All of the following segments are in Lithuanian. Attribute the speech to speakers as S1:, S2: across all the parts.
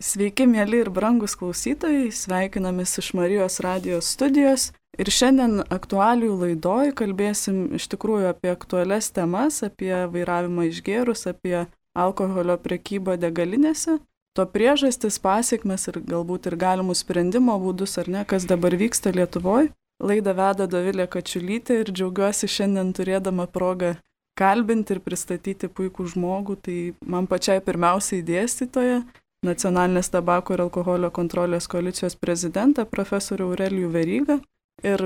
S1: Sveiki, mėly ir brangus klausytojai, sveikinamės iš Marijos radijos studijos ir šiandien aktualijų laidoj kalbėsim iš tikrųjų apie aktualias temas, apie vairavimą išgėrus, apie alkoholio prekybą degalinėse, to priežastis, pasiekmes ir galbūt ir galimus sprendimo būdus ar ne, kas dabar vyksta Lietuvoje. Laidą veda Dovilė Kačiulytė ir džiaugiuosi šiandien turėdama progą kalbinti ir pristatyti puikų žmogų, tai man pačiai pirmiausiai dėstytoja, Nacionalinės tabako ir alkoholio kontrolės koalicijos prezidentą profesorių Aurelijų Verygą. Ir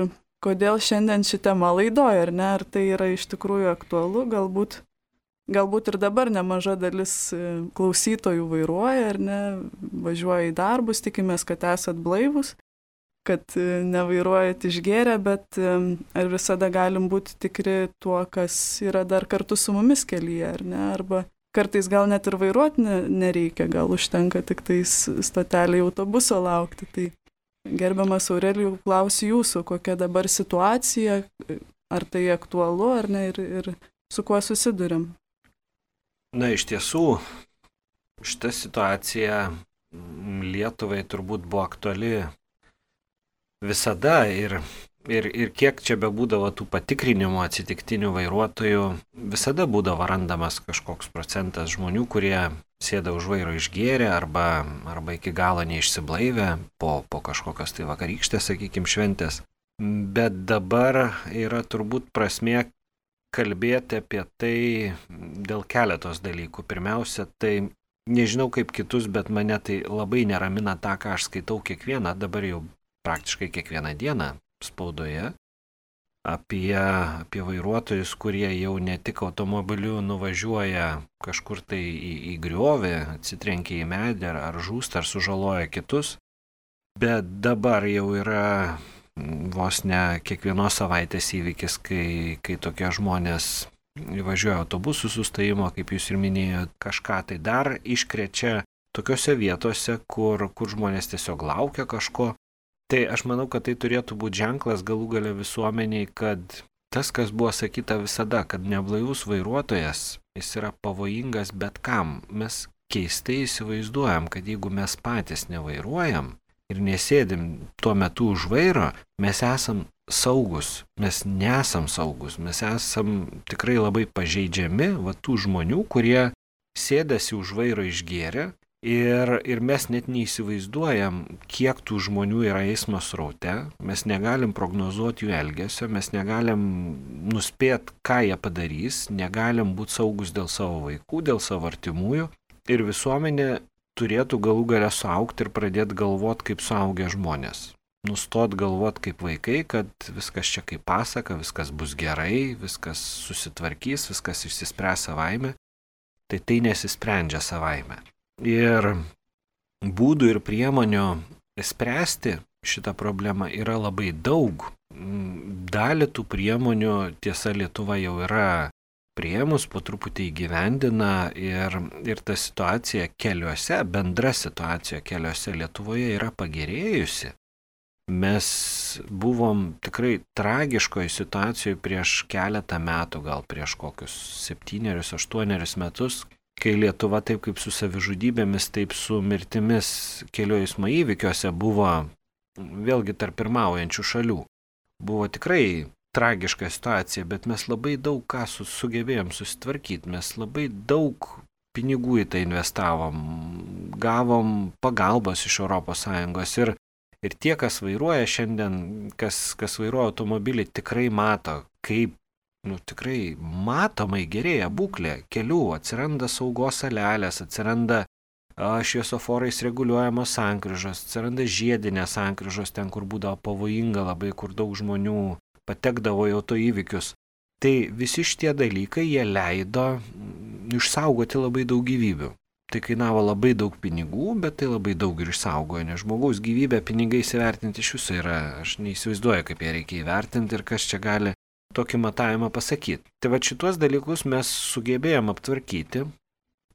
S1: kodėl šiandien ši tema laidoja, ar ne, ar tai yra iš tikrųjų aktualu, galbūt ir dabar nemaža dalis klausytojų vairuoja, ar ne, važiuoja į darbus, tikimės, kad esat blaivus, kad nevairuojat išgėrę, bet ar visada galim būti tikri tuo, kas yra dar kartu su mumis kelyje, ar ne, arba kartais gal net ir vairuoti nereikia, gal užtenka tik tais stotelį autobuso laukti. Tai gerbiamas Aurelijų, klausiu jūsų, kokia dabar situacija, ar tai aktualu, ar ne, ir su kuo susiduriam?
S2: Na, iš tiesų, šita situacija Lietuvai turbūt buvo aktuali visada ir kiek čia bebūdavo tų patikrinimų atsitiktinių vairuotojų, visada būdavo randamas kažkoks procentas žmonių, kurie sėda už vairo išgėrę arba iki galo neišsiblaivę po kažkokios tai vakarykštės, sakykime, šventės. Bet dabar yra turbūt prasmė kalbėti apie tai dėl keletos dalykų. Pirmiausia, tai nežinau kaip kitus, bet mane tai labai neramina tą, ką aš skaitau dabar jau praktiškai kiekvieną dieną spaudoje apie vairuotojus, kurie jau ne tik automobiliu nuvažiuoja kažkur tai į griovį, atsitrenkia į medį ar žūsta ar sužaloja kitus, bet dabar jau yra vos ne kiekvienos savaitės įvykis, kai tokie žmonės važiuoja autobusų sustojimo, kaip jūs ir minėjote, kažką tai dar iškrečia tokiose vietose, kur žmonės tiesiog laukia kažko. Tai aš manau, kad tai turėtų būti ženklas galų gale visuomeniai, kad tas, kas buvo sakyta visada, kad neblaivus vairuotojas, jis yra pavojingas bet kam. Mes keistai įsivaizduojam, kad jeigu mes patys nevairuojam ir nesėdim tuo metu už vairo, mes esam saugus. Mes nesam saugus, mes esam tikrai labai pažeidžiami tų žmonių, kurie sėdasi už vairo išgėrę. Ir mes net neįsivaizduojam, kiek tų žmonių yra eismo sraute, mes negalim prognozuoti jų elgesio, mes negalim nuspėti, ką jie padarys, negalim būti saugus dėl savo vaikų, dėl savo artimųjų. Ir visuomenė turėtų galų gale suaugti ir pradėti galvoti kaip suaugę žmonės. Nustot galvoti kaip vaikai, kad viskas čia kaip pasaka, viskas bus gerai, viskas susitvarkys, viskas išsispręs savaime. Tai nesisprendžia savaime. Ir būdų ir priemonių spręsti šitą problemą yra labai daug. Dalį tų priemonių, tiesa, Lietuva jau yra priėmus, po truputį įgyvendina ir ta situacija keliuose, bendra situacija keliuose Lietuvoje yra pagerėjusi. Mes buvom tikrai tragiškoje situacijoje prieš keletą metų, gal prieš kokius 7-8 metus, kai Lietuva taip kaip su savižudybėmis, taip su mirtimis kelių eismo įvykiuose buvo vėlgi tarp pirmaujančių šalių. Buvo tikrai tragiška situacija, bet mes labai daug ką sugebėjom susitvarkyti, mes labai daug pinigų į tai investavom, gavom pagalbos iš ES ir tie, kas vairuoja šiandien, kas vairuoja automobilį, tikrai mato, kaip tikrai matomai gerėja būklė kelių, atsiranda saugos salelės, atsiranda šviesoforais reguliuojamos sankryžos, atsiranda žiedinės sankryžos ten, kur būdavo pavojinga labai, kur daug žmonių patekdavo į autoįvykius. Tai visi šitie dalykai, jie leido išsaugoti labai daug gyvybių. Tai kainavo labai daug pinigų, bet tai labai daug ir išsaugojo, nes žmogaus gyvybę pinigais įvertinti iš viso yra, aš neįsivaizduoju, kaip ją reikia įvertinti ir kas čia gali tokį matavimą pasakyti. Tai va šituos dalykus mes sugebėjom aptvarkyti,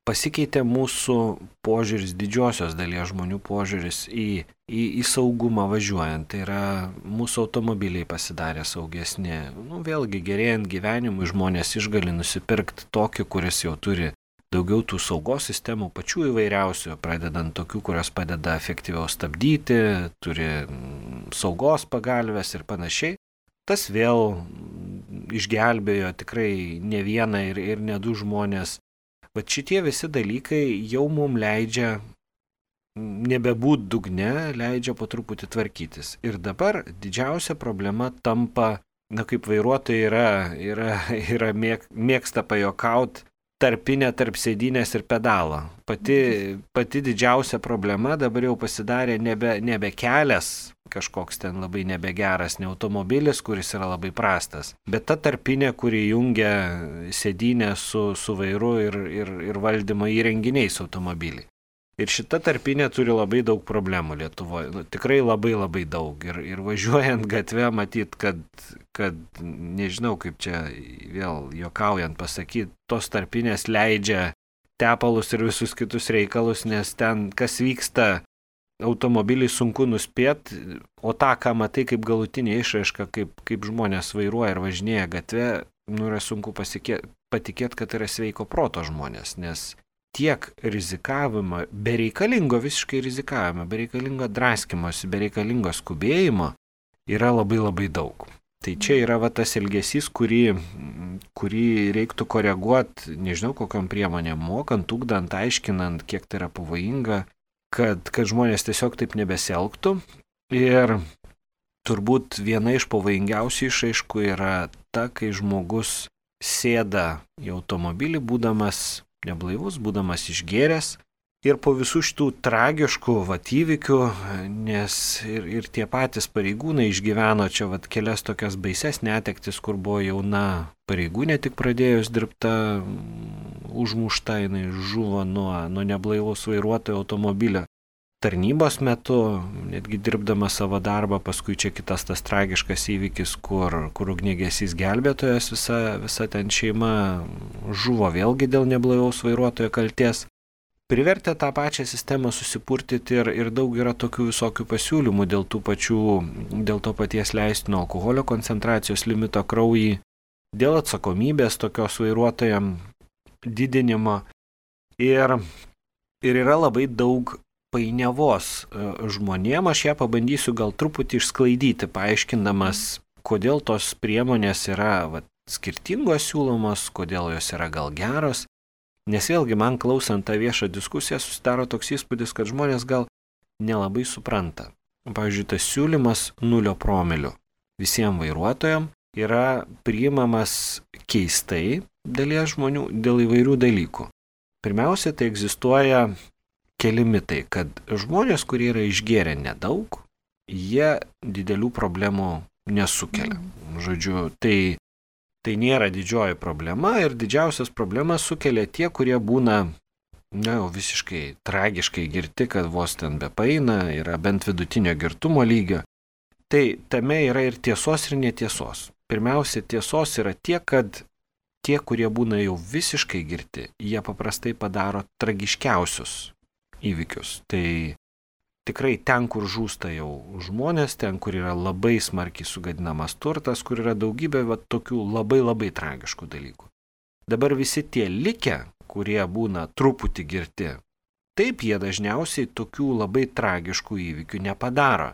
S2: pasikeitė mūsų požiūris, didžiosios dalies žmonių požiūris į saugumą važiuojant. Tai yra mūsų automobiliai pasidarė saugesni. Vėlgi gerėjant gyvenimui žmonės išgali nusipirkti tokį, kuris jau turi daugiau tų saugos sistemų pačių įvairiausių, pradedant tokių, kurios padeda efektyviau stabdyti, turi saugos pagalves ir panašiai. Tas vėl išgelbėjo tikrai ne vieną ir ne du žmonės. Bet šitie visi dalykai jau mums leidžia nebebūt dugne, leidžia po truputį tvarkytis. Ir dabar didžiausia problema tampa, kaip vairuotojai yra mėgsta pajokauti, tarpinė tarp sėdynės ir pedalo. Pati didžiausia problema dabar jau pasidarė nebe kelias, kažkoks ten labai nebegeras, ne automobilis, kuris yra labai prastas, bet ta tarpinė, kuri jungia sėdynę su vairu ir valdymo įrenginiais automobilį. Ir šita tarpinė turi labai daug problemų Lietuvoje, tikrai labai daug. Ir važiuojant gatve matyt, kad nežinau kaip čia vėl juokaujant pasakyti, tos tarpinės leidžia tepalus ir visus kitus reikalus, nes ten kas vyksta automobilį sunku nuspėti, o tą, ką matai kaip galutinė išraiška, kaip žmonės vairuoja ir važinėja gatve, yra sunku patikėti, kad yra sveiko proto žmonės, nes tiek rizikavimo, bereikalingo visiškai rizikavimo, bereikalingo draskimosi, bereikalingo skubėjimo yra labai daug. Tai čia yra tas elgesys, kurį reiktų koreguoti, nežinau kokiam priemonėm, mokant, ugdant, aiškinant, kiek tai yra pavojinga, kad žmonės tiesiog taip nebesielgtų. Ir turbūt viena iš pavojingiausių išraiškų yra ta, kai žmogus sėda į automobilį, būdamas neblaivus, būdamas išgėręs. Ir po visų šitų tragiškų įvykių, nes ir tie patys pareigūnai išgyveno čia kelias tokias baises netektis, kur buvo jauna pareigūnė tik pradėjus dirbta, užmušta, jinai žuvo nuo neblaivaus vairuotojo automobilio tarnybos metu, netgi dirbdama savo darbą, paskui čia kitas tas tragiškas įvykis, kur ugniagesys gelbėtojas, visa ten šeima žuvo vėlgi dėl neblaivaus vairuotojo kaltės. Privertė tą pačią sistemą susipurtyti ir daug yra tokių visokių pasiūlymų dėl to paties leistino alkoholio koncentracijos limito kraujy, dėl atsakomybės tokios vairuotojam didinimo ir yra labai daug painiavos žmonėm. Aš ją pabandysiu gal truputį išsklaidyti, paaiškindamas, kodėl tos priemonės yra skirtingos siūlomos, kodėl jos yra gal geros. Nes vėlgi man klausant tą viešą diskusiją susidaro toks įspūdis, kad žmonės gal nelabai supranta. Pavyzdžiui, tas siūlymas 0 promilių visiems vairuotojams yra priimamas keistai dalies žmonių dėl įvairių dalykų. Pirmiausia, tai egzistuoja keli mitai, kad žmonės, kurie yra išgėrę nedaug, jie didelių problemų nesukelia. Žodžiu, tai nėra didžioji problema ir didžiausias problemas sukelia tie, kurie būna visiškai tragiškai girti, kad vos ten bepaina, yra bent vidutinio girtumo lygio. Tai tame yra ir tiesos, ir netiesos. Pirmiausia, tiesos yra tiek, kad tie, kurie būna jau visiškai girti, jie paprastai padaro tragiškiausius įvykius. Tai tikrai ten, kur žūsta jau žmonės, ten, kur yra labai smarkiai sugadinamas turtas, kur yra daugybė tokių labai tragiškų dalykų. Dabar visi tie likę, kurie būna truputį girti, taip jie dažniausiai tokių labai tragiškų įvykių nepadaro.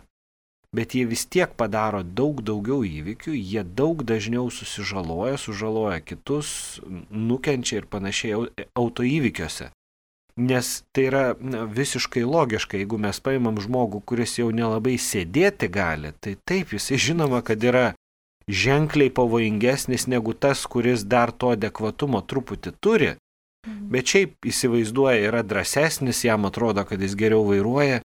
S2: Bet jie vis tiek padaro daug daugiau įvykių, jie daug dažniau sužaloja kitus, nukenčia ir panašiai autoįvykiuose. Nes tai yra visiškai logiška, jeigu mes paimam žmogų, kuris jau nelabai sėdėti gali, tai taip, jisai žinoma, kad yra ženkliai pavojingesnis negu tas, kuris dar to adekvatumo truputį turi, bet šiaip įsivaizduoja, yra drąsesnis, jam atrodo, kad jis geriau vairuoja,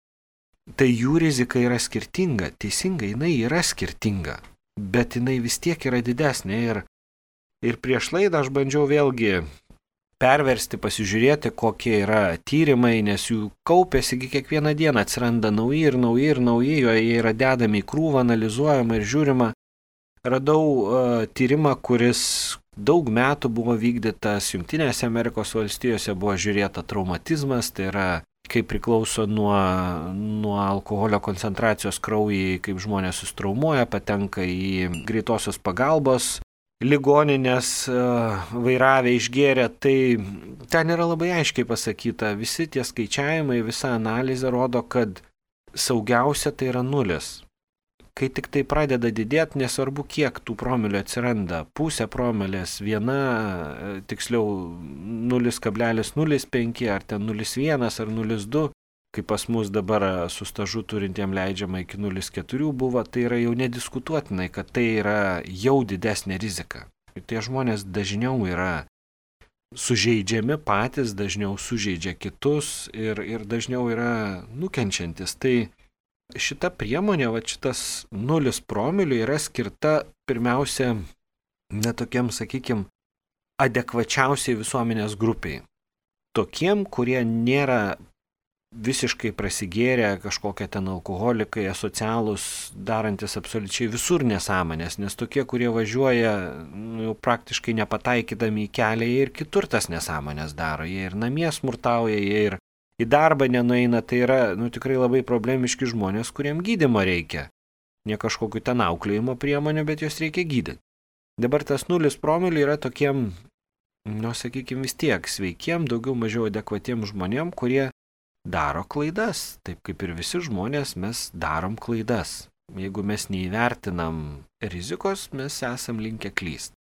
S2: tai jų rizika yra skirtinga, teisingai, jinai yra skirtinga, bet jinai vis tiek yra didesnė ir prieš laidą aš bandžiau vėlgi perversti, pasižiūrėti, kokie yra tyrimai, nes jų kaupėsi, kiekvieną dieną atsiranda nauji, jie yra dedami į krūvą, analizuojama ir žiūrima. Radau tyrimą, kuris daug metų buvo vykdytas Jungtinėse Amerikos valstijose, buvo žiūrėta traumatizmas, tai yra kaip priklauso nuo alkoholio koncentracijos kraujyje, kaip žmonės sustraumuoja, patenka į greitosios pagalbos ligoninės vairavę išgėrę, tai ten yra labai aiškiai pasakyta, visi tie skaičiavimai, visa analizė rodo, kad saugiausia tai yra 0. Kai tik tai pradeda didėti, nesvarbu kiek tų promilių atsiranda, pusė promilės, viena, tiksliau 0,05 ar ten 0,1 ar 0,2, kai pas mus dabar su stažu turintiem leidžiama iki 0,4 buvo, tai yra jau nediskutuotinai, kad tai yra jau didesnė rizika. Ir tie žmonės dažniau yra sužeidžiami patys, dažniau sužeidžia kitus ir dažniau yra nukenčiantis. Tai šita priemonė, šitas 0 promilių yra skirta pirmiausia netokiam, sakykime, adekvačiausiai visuomenės grupiai. Tokiem, kurie nėra visiškai prasigėrę, kažkokie ten alkoholikai, asocialūs, darantis absoliučiai visur nesąmonės, nes tokie, kurie važiuoja jau praktiškai nepataikydami į kelią, jie ir kitur tas nesąmonės daro, jie ir namie smurtauja, jie ir į darbą nenueina, tai yra tikrai labai problemiški žmonės, kuriem gydymo reikia. Ne kažkokiu ten auklėjimo priemonių, bet jos reikia gydyti. Dabar tas 0 promilių yra tokiem, sakykime, vis tiek sveikiem, daugiau mažiau adekvatiem žmonėm, kurie daro klaidas. Taip kaip ir visi žmonės, mes darom klaidas. Jeigu mes neįvertinam rizikos, mes esam linkę klysti.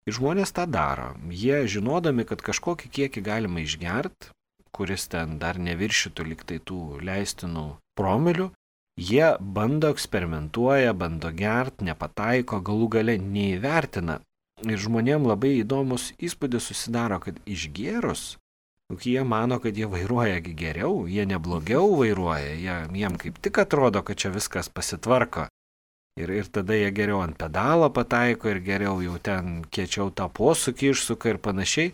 S2: Ir žmonės tą daro. Jie žinodami, kad kažkokį kiekį galima išgerti, kuris ten dar neviršytų liktai tų leistinų promilių, jie bando eksperimentuoja, bando gert, nepataiko, galų gale neįvertina. Ir žmonėm labai įdomus įspūdis susidaro, kad išgėrus, jie mano, kad jie vairuoja geriau, jie neblogiau vairuoja, jiem kaip tik atrodo, kad čia viskas pasitvarko. Ir tada jie geriau ant pedalo pataiko ir geriau jau ten kiečiau tą posūkį išsuka ir panašiai.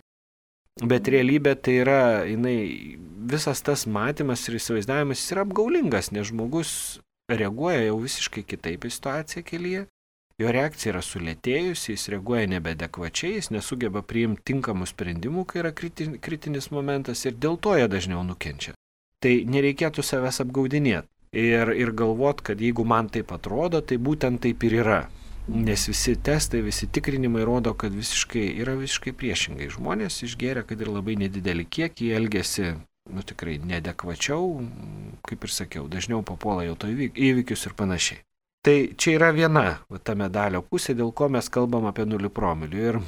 S2: Bet realybė tai yra, visas tas matymas ir įsivaizdavimas yra apgaulingas, nes žmogus reaguoja jau visiškai kitaip į situaciją kelyje, jo reakcija yra sulėtėjusi, jis reaguoja nebeadekvačiai, jis nesugeba priimti tinkamų sprendimų, kai yra kritinis momentas ir dėl to jie dažniau nukenčia. Tai nereikėtų savęs apgaudinėti ir galvot, kad jeigu man taip atrodo, tai būtent taip ir yra. Nes visi testai, visi tikrinimai rodo, kad yra visiškai priešingai. Žmonės išgėrė, kad ir labai nedidelį kiekį, elgesi tikrai neadekvačiau, kaip ir sakiau, dažniau papuola jau to įvykius ir panašiai. Tai čia yra viena ta medalio pusė, dėl ko mes kalbam apie 0 promilių. Ir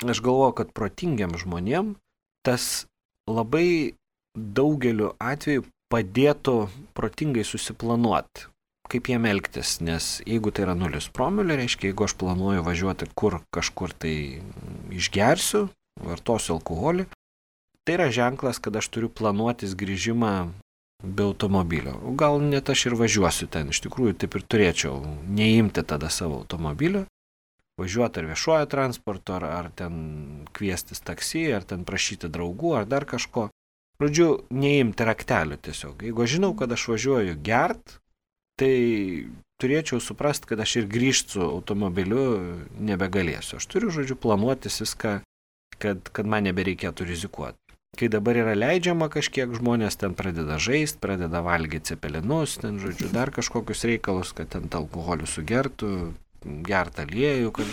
S2: aš galvoju, kad protingiam žmonėm tas labai daugeliu atveju padėtų protingai susiplanuoti, kaip jiem elgtis, nes jeigu tai yra 0 promilių, reiškia, jeigu aš planuoju važiuoti kažkur tai išgersiu, vartosiu alkoholį, tai yra ženklas, kad aš turiu planuotis grįžimą be automobilio. Gal net aš ir važiuosiu ten, iš tikrųjų taip ir turėčiau neimti tada savo automobilio, važiuoti ar viešuoju transportu, ar ten kviestis taksi, ar ten prašyti draugų, ar dar kažko. Žodžiu, neimti raktelių tiesiog. Jeigu aš žinau, kad aš važiuoju gert, tai turėčiau suprasti, kad aš ir grįžti su automobiliu nebegalėsiu. Aš turiu, planuotis viską, kad man nebereikėtų rizikuoti. Kai dabar yra leidžiama kažkiek, žmonės ten pradeda žaisti, pradeda valgyti cepelinus, ten, dar kažkokius reikalus, kad ten alkoholių sugertų, gertą aliejų, kad,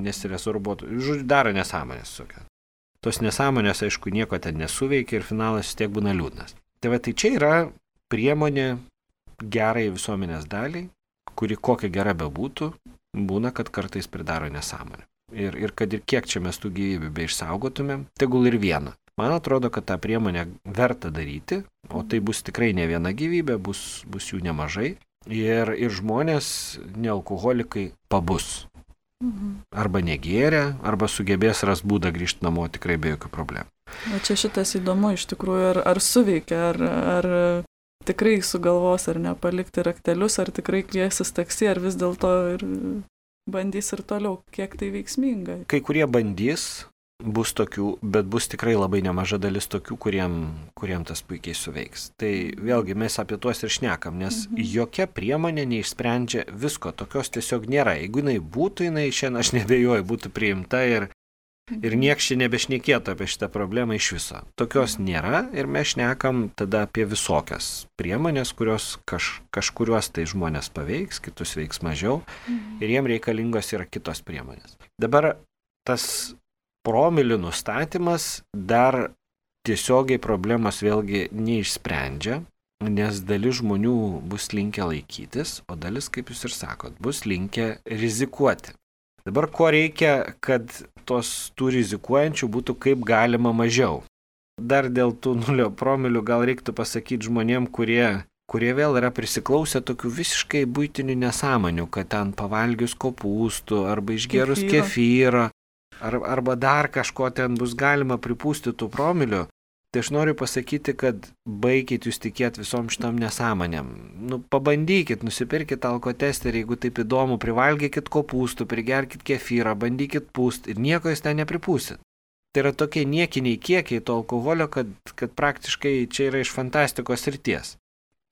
S2: nesiresorbuotų. Daro nesąmonės tokia. Tos nesąmonės, aišku, nieko ten nesuveikia ir finalas vis tiek būna liūdnas. Tai čia yra priemonė gerai visuomenės daliai, kuri kokia gera bebūtų, būna, kad kartais pridaro nesąmonę. Ir kad ir kiek čia mes tų gyvybių beišsaugotumėm, tegul ir vieną. Man atrodo, kad tą priemonę verta daryti, o tai bus tikrai ne viena gyvybė, bus jų nemažai. Ir žmonės, nealkoholikai, pabus. Arba negėrė, arba sugebės ras būdą grįžti namo tikrai be jokių problemų.
S1: O čia šitas įdomu iš tikrųjų, ar suveikia, ar tikrai sugalvos ar nepalikti raktelius, ar tikrai kviesis taksi, ar vis dėlto ir bandys ir toliau, kiek tai veiksminga.
S2: Kai kurie bandys, bus tokių, bet bus tikrai labai nemaža dalis tokių, kuriem tas puikiai suveiks. Tai vėlgi mes apie tuos ir šnekam, nes jokia priemonė neišsprendžia visko, tokios tiesiog nėra. Jeigu jinai būtų, šiandien aš nebejoju, būtų priimta ir Ir nieks čia nebešnekėtų apie šitą problemą iš viso. Tokios nėra ir mes šnekam tada apie visokias priemonės, kurios kažkuriuos tai žmonės paveiks, kitus veiks mažiau ir jiem reikalingos yra kitos priemonės. Dabar tas promilių nustatymas dar tiesiogiai problemos vėlgi neišsprendžia, nes dalis žmonių bus linkę laikytis, o dalis, kaip jūs ir sakot, bus linkę rizikuoti. Dabar ko reikia, kad tų rizikuojančių būtų kaip galima mažiau? Dar dėl tų 0 promilių gal reiktų pasakyti žmonėm, kurie vėl yra prisiklausę tokių visiškai buitinių nesąmonių, kad ten pavalgius kopūstų arba išgerus kefyro arba dar kažko ten bus galima pripūsti tų promilių. Tai aš noriu pasakyti, kad baikit jūs tikėti visom šitom nesąmonėm. Pabandykit, nusipirkit alkotesterį, jeigu taip įdomu, privalgykit kopūstų, prigerkit kefyrą, bandykit pūst ir nieko jūs ten nepripūsit. Tai yra tokie niekiniai kiekiai to alkoholio, kad praktiškai čia yra iš fantastikos srities.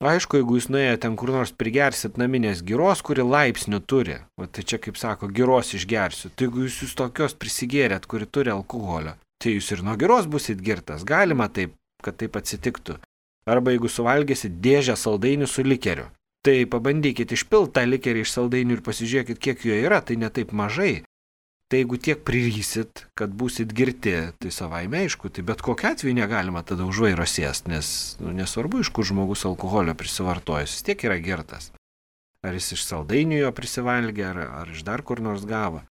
S2: Aišku, jeigu jūs nuėjote ten kur nors prigersit naminės giros, kuri laipsnių turi, tai čia kaip sako, giros išgersiu, tai jeigu jūs tokios prisigėrėt, kuri turi alkoholio, tai jūs ir nuo giros busit girtas, galima taip, kad taip atsitiktų. Arba jeigu suvalgysit dėžę saldainių su likeriu, tai pabandykit išpilti tą likerį iš saldainių ir pasižiūrėkit, kiek jo yra, tai ne taip mažai. Tai jeigu tiek prirysit, kad būsit girti, tai savaime aišku, tai bet kokiu atveju negalima tada už vairo sėst, nes nesvarbu, iš kur žmogus alkoholio prisivartojus, vis tiek yra girtas. Ar jis iš saldainių jo prisivalgė, ar iš dar kur nors gavo.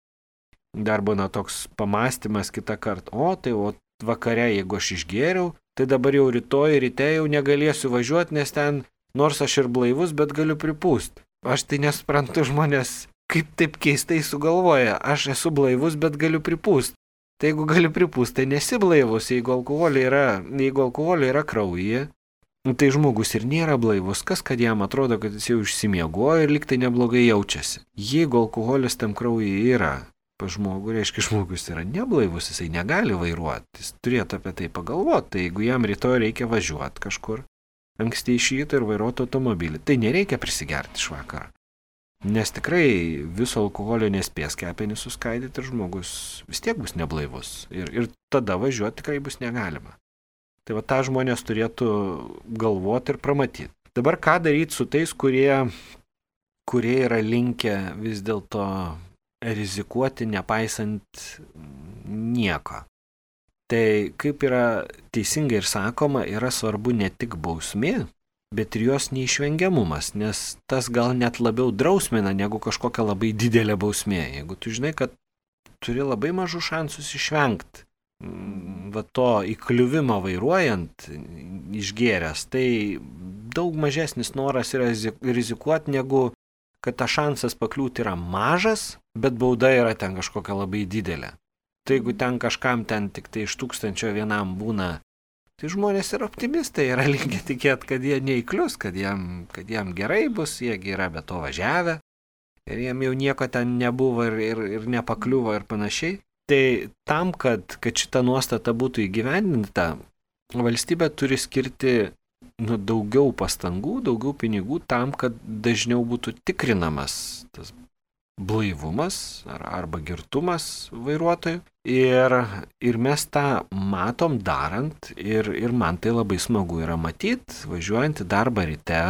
S2: Dar būna toks pamastymas kitą kartą, tai vakare, jeigu aš išgėriau, tai dabar jau rytoj ryte jau negalėsiu važiuoti, nes ten, nors aš ir blaivus, bet galiu pripūst. Aš tai nesuprantu žmonės, kaip taip keistai sugalvoja, aš esu blaivus, bet galiu pripūst. Tai jeigu galiu pripūst, tai nesi blaivus, jeigu alkoholio yra kraujyje, tai žmogus ir nėra blaivus, kas kad jam atrodo, kad jis jau išsimiegojo ir lyg tai neblogai jaučiasi. Jeigu alkoholis tam kraujyje yra, pas žmogų, reiškia, žmogus yra neblaivus, jisai negali vairuoti, jis turėtų apie tai pagalvoti, tai jeigu jam rytoj reikia važiuoti kažkur, anksti iš ryto ir vairuoti automobilį, tai nereikia prisigerti iš vakaro. Nes tikrai viso alkoholio nespės kepenys suskaidyti ir žmogus vis tiek bus neblaivus ir tada važiuoti tikrai bus negalima. Tai tą žmonės turėtų galvoti ir pramatyti. Dabar ką daryti su tais, kurie yra linkę vis dėlto rizikuoti nepaisant nieko. Tai kaip yra teisingai ir sakoma, yra svarbu ne tik bausmė, bet ir jos neišvengiamumas, nes tas gal net labiau drausmina negu kažkokia labai didelė bausmė. Jeigu tu žinai, kad turi labai mažų šansus išvengti to įkliuvimo vairuojant išgėręs, tai daug mažesnis noras yra rizikuoti, negu kad tas šansas pakliūti yra mažas, bet bauda yra ten kažkokia labai didelė. Tai jeigu ten kažkam ten tik tai iš 1000 vienam būna, tai žmonės yra optimistai, yra linkę tikėti, kad jie neįklius, kad jam gerai bus, jie yra be to važiavę ir jiem jau nieko ten nebuvo ir nepakliuvo ir panašiai. Tai tam, kad šita nuostata būtų įgyvendinta, valstybė turi skirti daugiau pastangų, daugiau pinigų tam, kad dažniau būtų tikrinamas tas blaivumas arba girtumas vairuotojų. Ir mes tą matom darant ir man tai labai smagu yra matyti, važiuojant į darbą ryte,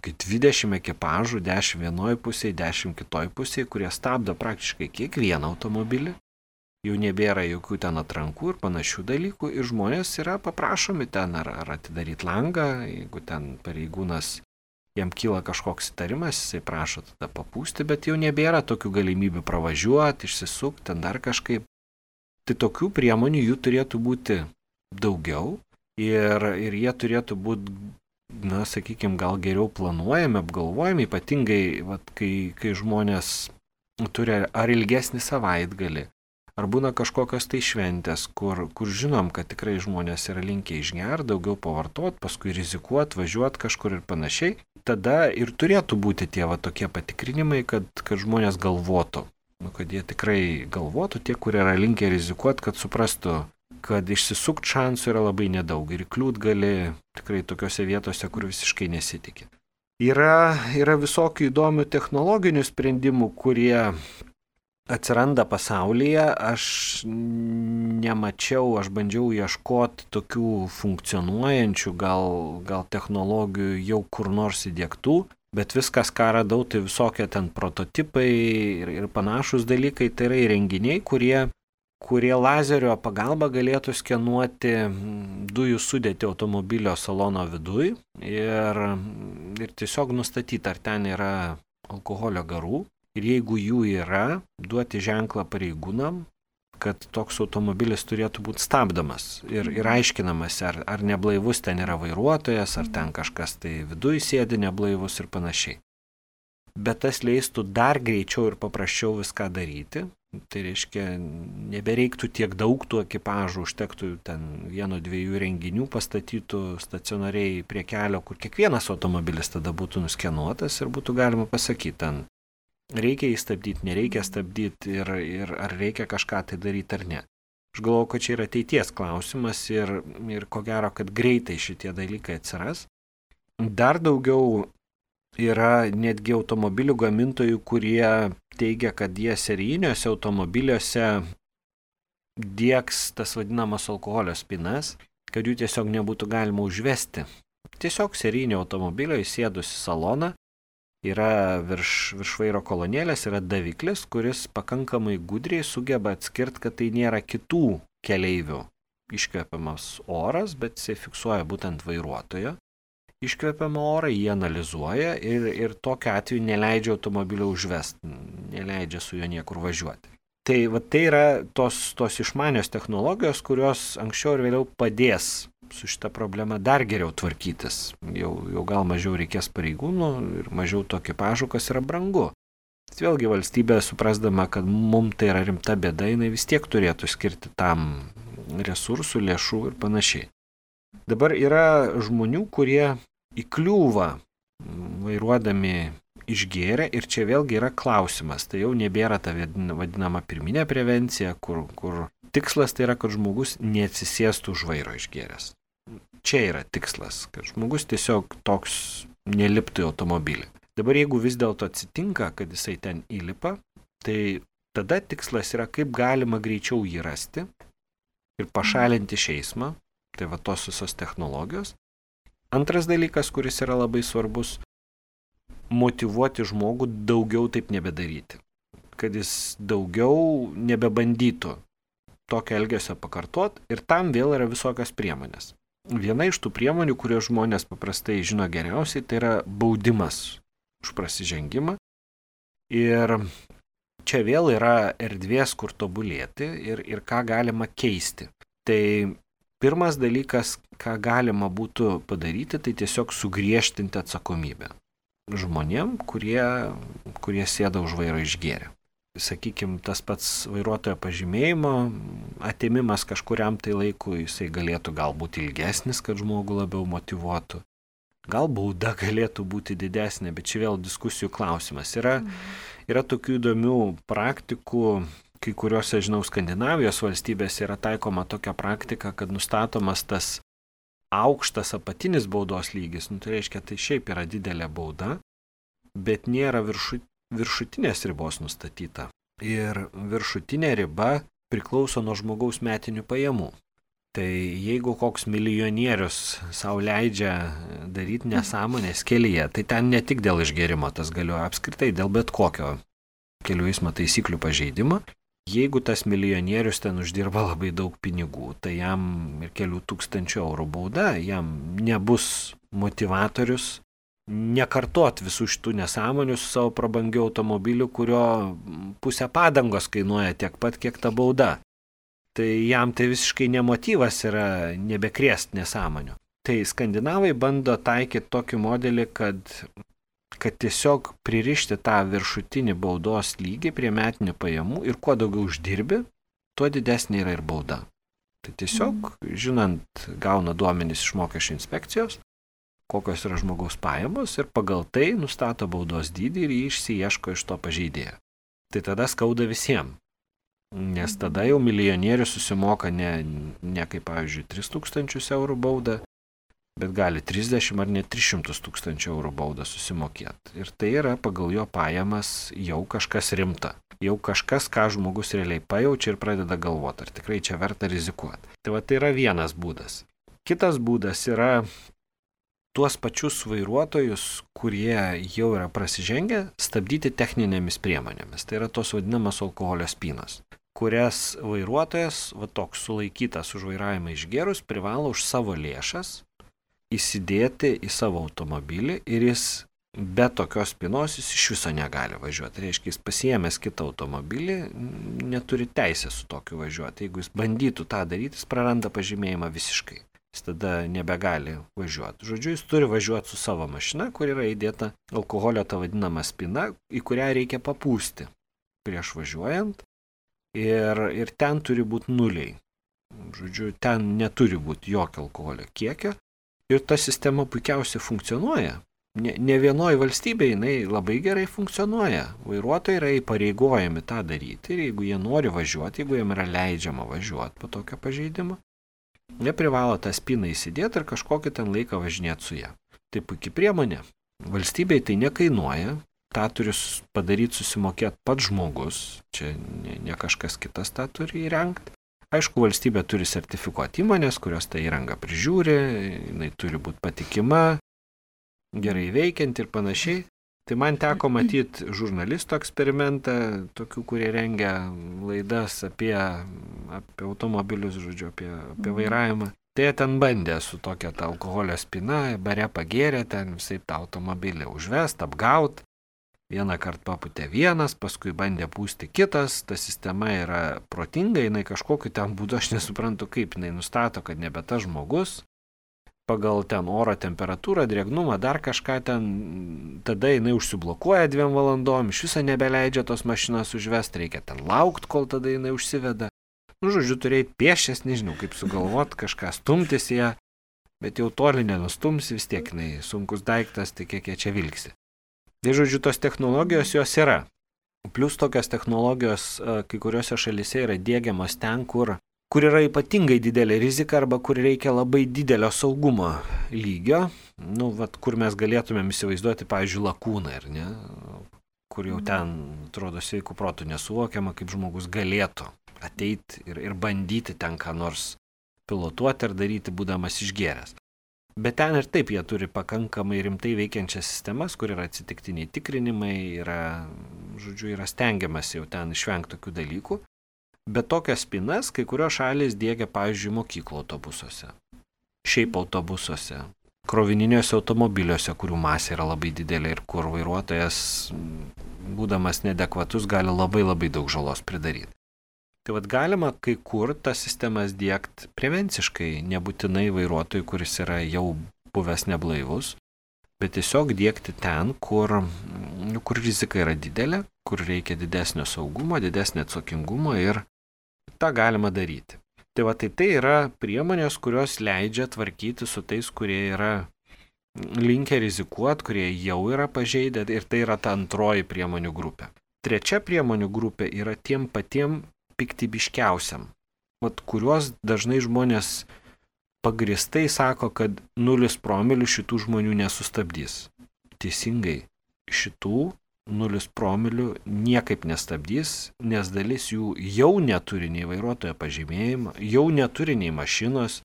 S2: 20 ekipažų, 10 vienoj pusėje, 10 kitoj pusėje, kurie stabdo praktiškai kiekvieną automobilį. Jau nebėra jokių ten atrankų ir panašių dalykų ir žmonės yra paprašomi ten ar atidaryti langą, jeigu ten pareigūnas jam kyla kažkoks įtarimas, jisai prašo tada papūsti, bet jau nebėra tokių galimybių pravažiuoti, išsisukti, ten dar kažkaip. Tai tokių priemonių jų turėtų būti daugiau ir jie turėtų būti, sakykime, gal geriau planuojami, apgalvojami, ypatingai, kai žmonės turi ar ilgesnį savaitgalį, ar būna kažkokios tai šventės, kur žinom, kad tikrai žmonės yra linkę išgerti, daugiau pavartoti, paskui rizikuoti, važiuoti kažkur ir panašiai. Tada ir turėtų būti tie tokie patikrinimai, kad žmonės galvotų. Kad jie tikrai galvotų, tie, kurie yra linkę rizikuoti, kad suprastų, kad išsisukti šansų yra labai nedaug ir kliūt gali tikrai tokiose vietose, kur visiškai nesitikė. Yra visokių įdomių technologinių sprendimų, kurie atsiranda pasaulyje, aš nemačiau, aš bandžiau ieškoti tokių funkcionuojančių gal technologijų jau kur nors įdiegtų, bet viskas, ką radau, tai visokie ten prototipai ir panašus dalykai, tai yra įrenginiai, kurie lazerio pagalba galėtų skenuoti dujų sudėtį automobilio salono viduj ir tiesiog nustatyti, ar ten yra alkoholio garų. Ir jeigu jų yra, duoti ženklą pareigūnam, kad toks automobilis turėtų būti stabdomas ir aiškinamas, ar neblaivus ten yra vairuotojas, ar ten kažkas tai viduj sėdi neblaivus ir panašiai. Bet tas leistų dar greičiau ir paprasčiau viską daryti. Tai reiškia, nebereiktų tiek daug tų ekipažų, užtektų ten 1-2 renginių pastatytų stacionariai prie kelio, kur kiekvienas automobilis tada būtų nuskenuotas ir būtų galima pasakyti, ten reikia įstabdyti, nereikia stabdyti ir ar reikia kažką tai daryti ar ne. Aš galvoju, kad čia yra ateities klausimas ir ko gero, kad greitai šitie dalykai atsiras. Dar daugiau yra netgi automobilių gamintojų, kurie teigia, kad jie serijiniuose automobiliuose diegs tas vadinamas alkoholio spinas, kad jų tiesiog nebūtų galima užvesti. Tiesiog serijinio automobilio įsėdus į saloną yra virš vairo kolonėlės, yra daviklis, kuris pakankamai gudriai sugeba atskirti, kad tai nėra kitų keleivių iškvepiamas oras, bet jisai fiksuoja būtent vairuotojo iškvepiamą orą, jį analizuoja ir tokiu atveju neleidžia automobilio užvesti, neleidžia su juo niekur važiuoti. Tai yra tos išmanios technologijos, kurios anksčiau ir vėliau padės su šita problema dar geriau tvarkytis. Jau gal mažiau reikės pareigūnų ir mažiau to ekipažų, kas yra brangu. Bet vėlgi valstybė, suprasdama, kad mums tai yra rimta bėda, jinai vis tiek turėtų skirti tam resursų, lėšų ir panašiai. Dabar yra žmonių, kurie įkliūva vairuodami išgėrę ir čia vėlgi yra klausimas. Tai jau nebėra ta vadinama pirminė prevencija, kur tikslas tai yra, kad žmogus neatsisėstų už vairo išgėręs. Čia yra tikslas, kad žmogus tiesiog toks neliptų į automobilį. Dabar jeigu vis dėlto atsitinka, kad jisai ten įlipa, tai tada tikslas yra, kaip galima greičiau jį rasti ir pašalinti iš eismo. Tai va tos visos technologijos. Antras dalykas, kuris yra labai svarbus, motyvuoti žmogų daugiau taip nebedaryti. Kad jis daugiau nebebandytų tokio elgesio pakartot ir tam vėl yra visokios priemonės. Viena iš tų priemonių, kurios žmonės paprastai žino geriausiai, tai yra baudimas už prasižengimą. Ir čia vėl yra erdvės, kur tobulėti ir ką galima keisti. Tai pirmas dalykas, ką galima būtų padaryti, tai tiesiog sugriežtinti atsakomybę žmonėm, kurie sėda už vairo išgėrę. Sakykime, tas pats vairuotojo pažymėjimo atėmimas kažkuriam tai laikui, jisai galėtų galbūt ilgesnis, kad žmogų labiau motyvuotų. Gal bauda galėtų būti didesnė, bet čia vėl diskusijų klausimas. Yra tokių įdomių praktikų, kai kuriuose, žinau, Skandinavijos valstybėse yra taikoma tokia praktika, kad nustatomas tas aukštas apatinis baudos lygis, tai reiškia, tai šiaip yra didelė bauda, bet nėra viršutinės ribos nustatyta. Ir viršutinė riba priklauso nuo žmogaus metinių pajamų. Tai jeigu koks milijonierius sau leidžia daryti nesąmonės kelyje, tai ten ne tik dėl išgėrimo tas galioja, apskritai dėl bet kokio kelių eismo taisyklių pažeidimo. Jeigu tas milijonierius ten uždirba labai daug pinigų, tai jam ir kelių tūkstančių eurų bauda, jam nebus motivatorius nekartot visų šitų nesąmonių su savo prabangiu automobiliu, kurio pusę padangos kainuoja tiek pat, kiek ta bauda. Tai jam tai visiškai nemotyvas yra nebekrėst nesąmonių. Tai skandinavai bando taikyti tokį modelį, kad tiesiog pririšti tą viršutinį baudos lygį prie metinių pajamų ir kuo daugiau uždirbi, tuo didesnė yra ir bauda. Tai tiesiog, žinant, gauna duomenys iš mokesčių inspekcijos, kokios yra žmogaus pajamos ir pagal tai nustato baudos dydį ir jį išsiieško iš to pažeidėjo. Tai tada skauda visiems, nes tada jau milijonierius susimoka ne kaip, pavyzdžiui, 3000 eurų baudą, bet gali 30 ar net 300 000 eurų baudą susimokėti. Ir tai yra pagal jo pajamas jau kažkas rimta. jau kažkas, ką žmogus realiai pajaučia ir pradeda galvoti, ar tikrai čia verta rizikuoti. Tai va, tai yra vienas būdas. Kitas būdas yra tuos pačius vairuotojus, kurie jau yra prasižengę, stabdyti techninėmis priemonėmis. Tai yra tos vadinamas alkoholio spynos, kurias vairuotojas, va toks sulaikytas už vairavimą išgėrus, privalo už savo lėšas įsidėti į savo automobilį ir jis be tokios spynos jis iš viso negali važiuoti. Tai reiškia, jis pasiėmęs kitą automobilį, neturi teisės su tokiu važiuoti. Jeigu jis bandytų tą daryti, jis praranda pažymėjimą visiškai. Jis tada nebegali važiuoti. Žodžiu, jis turi važiuoti su savo mašina, kur yra įdėta alkoholio ta vadinama spyna, į kurią reikia papūsti prieš važiuojant. Ir ten turi būti nuliai. Žodžiu, ten neturi būti jokio alkoholio kiekio. Ir ta sistema puikiausiai funkcionuoja. Ne vienoje valstybėje jinai labai gerai funkcionuoja. Vairuotojai yra įpareigojami tą daryti ir jeigu jie nori važiuoti, jeigu jiem yra leidžiama važiuoti po tokio pažeidimo, jie privalo tą spyną įsidėti ir kažkokį ten laiką važinėti su ją. Tai puikia priemonė. Valstybei tai nekainuoja, tą turi padaryti, susimokėti pats žmogus, čia ne kažkas kitas tą turi įrengti. Aišku, valstybė turi sertifikuoti įmonės, kurios tą įrangą prižiūri, jinai turi būti patikima, gerai veikianti ir panašiai. Tai man teko matyti žurnalistų eksperimentą, tokių, kurie rengia laidas apie automobilius, žodžiu, apie vairavimą. Tai jie ten bandė su tokia ta alkoholio spyna, bare pagėrė, ten visai tą automobilį užvest, apgaut. Vieną kartą papūtė vienas, paskui bandė pūsti kitas, ta sistema yra protinga, jinai kažkokiu ten būdu, aš nesuprantu kaip, jinai nustato, kad nebe tas žmogus, pagal ten oro temperatūrą, drėgnumą, dar kažką ten, tada jinai užsiblokuoja 2 valandom, iš viso nebeleidžia tos mašinos užvest, reikia ten laukti, kol tada jinai užsiveda. Žodžiu, turėjai piešęs, nežinau, kaip sugalvot, kažką stumtis ją, bet jau toli nenustumsi, vis tiek jinai sunkus daiktas, tai kiek jie čia vilksi. Tai žodžiu, tos technologijos jos yra. Plius tokios technologijos kai kuriuose šalyse yra diegiamos ten, kur yra ypatingai didelė rizika arba kur reikia labai didelio saugumo lygio. Kur mes galėtumėm įsivaizduoti, pavyzdžiui, lakūną, ar ne? Kur jau ten, atrodo, sveikų protų nesuvokiama, kaip žmogus galėtų ateiti ir bandyti ten ką nors pilotuoti ar daryti, būdamas išgėręs. Bet ten ir taip jie turi pakankamai rimtai veikiančias sistemas, kur yra atsitiktiniai tikrinimai, yra stengiamas jau ten išvengti tokių dalykų. Bet tokias spynas kai kurios šalys diegia, pavyzdžiui, mokyklų autobusuose, šiaip autobusuose, krovininiuose automobiliuose, kurių masė yra labai didelė ir kur vairuotojas, būdamas neadekvatus, gali labai labai daug žalos pridaryti. Tai galima kai kur tas sistemas diegti prevenciškai, nebūtinai vairuotojui, kuris yra jau buvęs neblaivus, bet tiesiog diegti ten, kur rizika yra didelė, kur reikia didesnio saugumo, didesnio atsakingumo ir tą galima daryti. Tai yra priemonės, kurios leidžia tvarkyti su tais, kurie yra linkę rizikuoti, kurie jau yra pažeidę ir tai yra ta antroji priemonių grupė. Trečia priemonių grupė yra tiem patiem piktybiškiausiam, kuriuos dažnai žmonės pagristai sako, kad 0 promilių šitų žmonių nesustabdys. Teisingai, šitų 0 promilių niekaip nestabdys, nes dalis jų jau neturi nei vairuotojo pažymėjimo, jau neturi nei mašinos,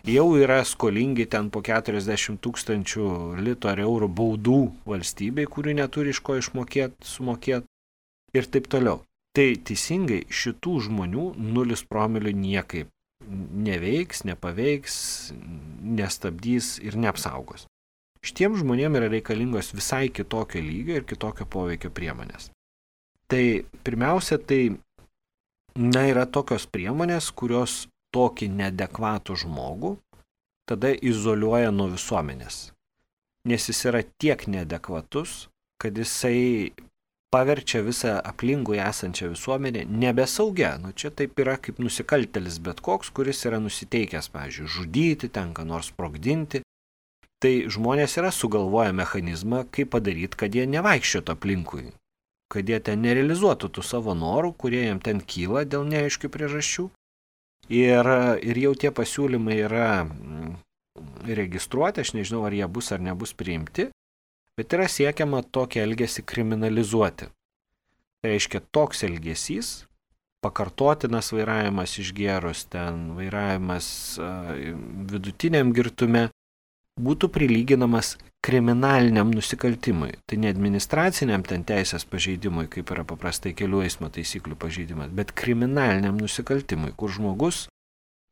S2: jau yra skolingi ten po 40 000 litų ar eurų baudų valstybei, kurių neturi iš ko sumokėti ir taip toliau. Tai teisingai šitų žmonių 0 promilių niekaip neveiks, nepaveiks, nestabdys ir neapsaugos. Šitiem žmonėm yra reikalingos visai kitokio lygio ir kitokio poveikio priemonės. Tai pirmiausia, yra tokios priemonės, kurios tokį neadekvatų žmogų tada izoliuoja nuo visuomenės. Nes jis yra tiek neadekvatus, kad jisai paverčia visą aplinkui esančią visuomenę nebesaugia. Čia taip yra kaip nusikaltėlis bet koks, kuris yra nusiteikęs, pavyzdžiui, žudyti, ten ką nors sprogdinti. Tai žmonės yra sugalvoję mechanizmą, kaip padaryti, kad jie nevaikščiotų aplinkui, kad jie ten nerealizuotų tų savo norų, kurie jiem ten kyla dėl neaiškių priežasčių. Ir jau tie pasiūlymai yra registruoti, aš nežinau, ar jie bus ar nebus priimti, bet yra siekiama tokį elgesį kriminalizuoti. Tai reiškia toks elgesys, pakartotinas vairavimas išgėrus, ten vairavimas vidutiniam girtume, būtų prilyginamas kriminaliniam nusikaltimui. Tai ne administraciniam ten teisės pažeidimui, kaip yra paprastai kelių eismo taisyklių pažeidimas, bet kriminaliniam nusikaltimui, kur žmogus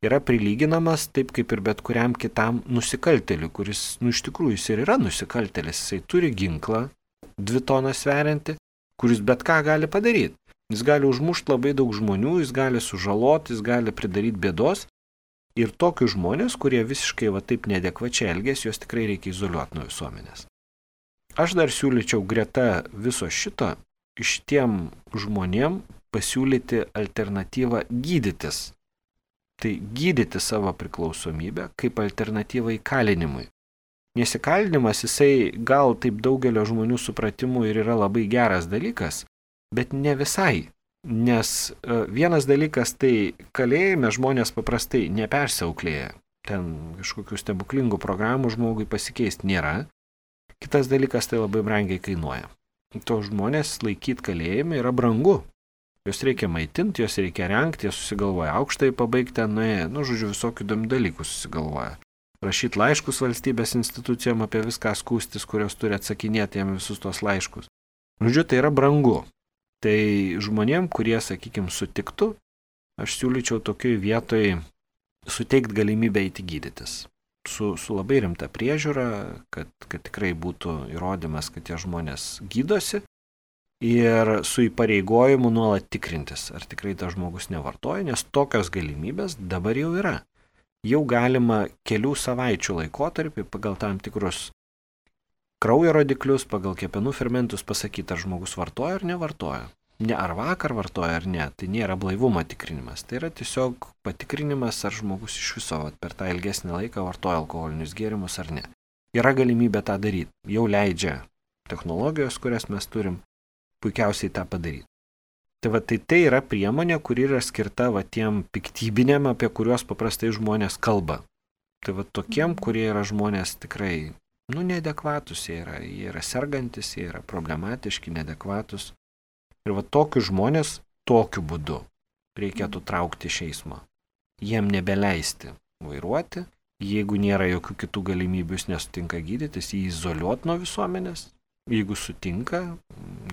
S2: yra prilyginamas taip kaip ir bet kuriam kitam nusikaltėliui, kuris, iš tikrųjų, jis ir yra nusikaltėlis, jisai turi ginklą, 2 tonas sveriantį, kuris bet ką gali padaryti. Jis gali užmušti labai daug žmonių, jis gali sužaloti, jis gali pridaryti bėdos. Ir tokius žmonės, kurie visiškai taip neadekvačiai elgės, juos tikrai reikia izoliuoti nuo visuomenės. Aš dar siūlyčiau greta viso šito šitiem žmonėm pasiūlyti alternatyvą gydytis. Tai gydyti savo priklausomybę kaip alternatyvą įkalinimui. Nes įkalinimas, jisai gal taip daugelio žmonių supratimų ir yra labai geras dalykas, bet ne visai. Nes vienas dalykas, tai kalėjime žmonės paprastai nepersiauklėja. Ten kažkokių stebuklingų programų žmogui pasikeisti nėra. Kitas dalykas, tai labai brangiai kainuoja. To žmonės laikyti kalėjime yra brangu. Jos reikia maitinti, jos reikia rengti, jie susigalvoja aukštai pabaigti, žodžiu, visokių įdomių dalykų susigalvoja. Rašyti laiškus valstybės institucijom apie viską skųstis, kurios turi atsakinėti jam visus tos laiškus. Žodžiu, tai yra brangu. Tai žmonėm, kurie, sakykime, sutiktų, aš siūlyčiau tokioj vietoj suteikti galimybę eiti gydytis. Su labai rimta priežiūra, kad tikrai būtų įrodymas, kad tie žmonės gydosi ir su įpareigojimu nuolat tikrintis, ar tikrai tas žmogus nevartoja, nes tokios galimybės dabar jau yra. Jau galima kelių savaičių laikotarpį pagal tam tikrus kraujo rodiklius, pagal kepenų fermentus pasakyti, ar žmogus vartoja ar nevartoja. Ne ar vakar vartoja ar ne, tai nėra blaivumo tikrinimas. Tai yra tiesiog patikrinimas, ar žmogus iš viso per tą ilgesnį laiką vartoja alkoholinius gėrimus ar ne. Yra galimybė tą daryti. Jau leidžia technologijos, kurias mes turim, puikiausiai tą padaryti. Tai yra priemonė, kuri yra skirta tiem piktybiniam, apie kuriuos paprastai žmonės kalba. Tai tokiem, kurie yra žmonės tikrai neadekvatus, jie yra sergantis, jie yra problematiški, neadekvatus. Ir tokius žmonės tokiu būdu reikėtų traukti iš eismo. Jiem nebeleisti vairuoti, jeigu nėra jokių kitų galimybių, jis nesutinka gydytis, jį izoliuoti nuo visuomenės. Jeigu sutinka,